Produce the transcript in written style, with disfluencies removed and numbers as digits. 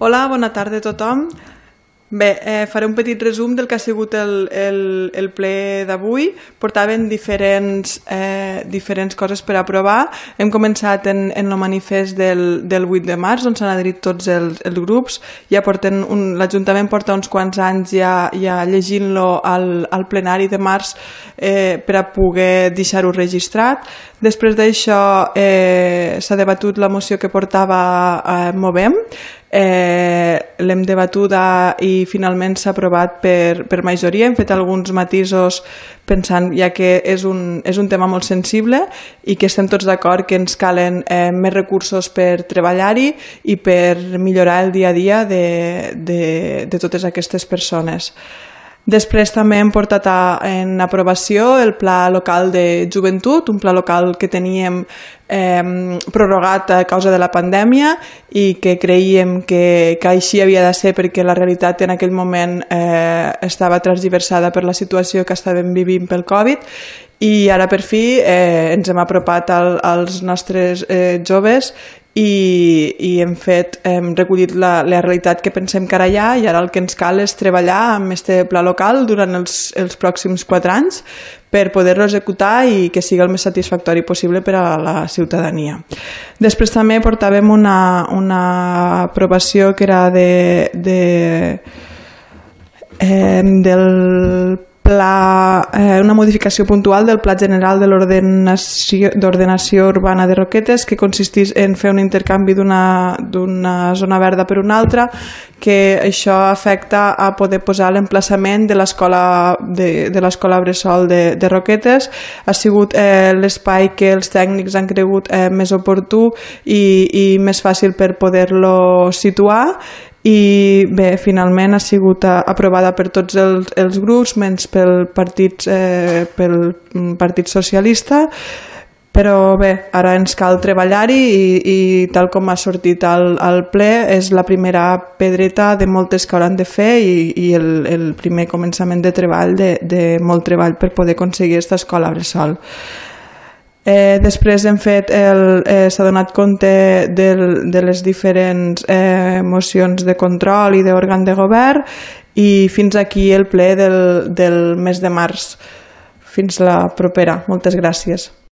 Hola, bona tarda a tothom. Bé, faré un petit resum del que ha sigut el ple d'avui. Portaven diferents coses per aprovar. Hem començat en el manifest del 8 de març, on s'han adherit tots els grups. L'Ajuntament porta uns quants anys ja llegint-lo al plenari de març per a poder deixar-ho registrat. Després d'això s'ha debatut la moció que portava Movem. L'hem debatut i finalment s'ha aprovat per majoria. Hem fet alguns matisos pensant, ja que és un tema molt sensible i que estem tots d'acord que ens calen més recursos per treballar-hi i per millorar el dia a dia de totes aquestes persones. Després també hem portat en aprovació el Pla Local de Joventut, un pla local que teníem prorrogat a causa de la pandèmia i que creiem que així havia de ser perquè la realitat en aquell moment estava transversada per la situació que estàvem vivint pel Covid i ara per fi ens hem apropat als nostres joves i hem recollit la realitat que pensem que ara hi ha i ara el que ens cal és treballar amb este pla local durant els pròxims 4 anys per poder-lo executar i que sigui el més satisfactori possible per a la ciutadania. Després també portàvem una aprovació que era una modificació puntual del Pla General de d'Ordenació Urbana de Roquetes, que consistís en fer un intercanvi d'una zona verda per una altra, que això afecta a poder posar l'emplaçament de l'escola bressol de Roquetes. Ha sigut l'espai que els tècnics han cregut més oportú i més fàcil per poder-lo situar i bé, finalment ha sigut aprovada per tots els grups menys pel Partit Socialista, però bé, ara ens cal treballar-hi i tal com ha sortit al ple és la primera pedreta de moltes que hauran de fer i el primer començament de treball de molt treball per poder aconseguir aquesta escola bressol. Després s'ha donat compte de les diferents mocions de control i d'òrgan de govern i fins aquí el ple del mes de març. Fins la propera. Moltes gràcies.